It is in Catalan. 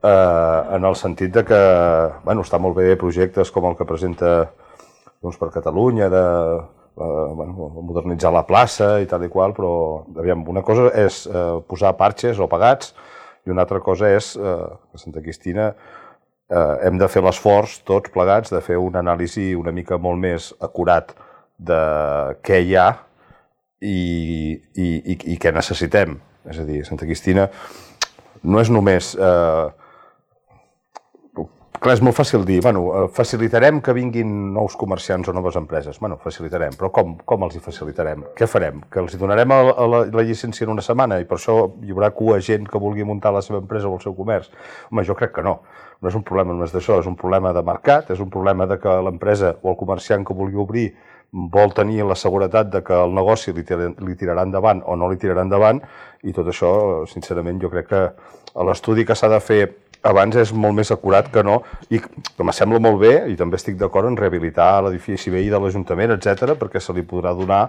en el sentit de que està molt bé projectes com el que presenta Junts per Catalunya de modernitzar la plaça i tal i qual, però una cosa és posar parxes o pegats i una altra cosa és que a Santa Cristina hem de fer l'esforç tots plegats de fer una anàlisi una mica molt més acurat de què hi ha i què necessitem. És a dir, Santa Cristina no és només... Clar, és molt fàcil dir, facilitarem que vinguin nous comerciants o noves empreses. Facilitarem, però com els hi facilitarem? Què farem? Que els hi donarem la llicència en una setmana i per això hi haurà cua gent que vulgui muntar la seva empresa o el seu comerç? Home, jo crec que no. No és un problema només d'això, és un problema de mercat, és un problema de que l'empresa o el comerciant que vulgui obrir vol tenir la seguretat de que el negoci li tirarà endavant o no li tirarà endavant i tot això, sincerament, jo crec que l'estudi que s'ha de fer abans és molt més acurat que no, i que me sembla molt bé, i també estic d'acord en rehabilitar l'edifici veí de l'Ajuntament, etc, perquè se li podrà donar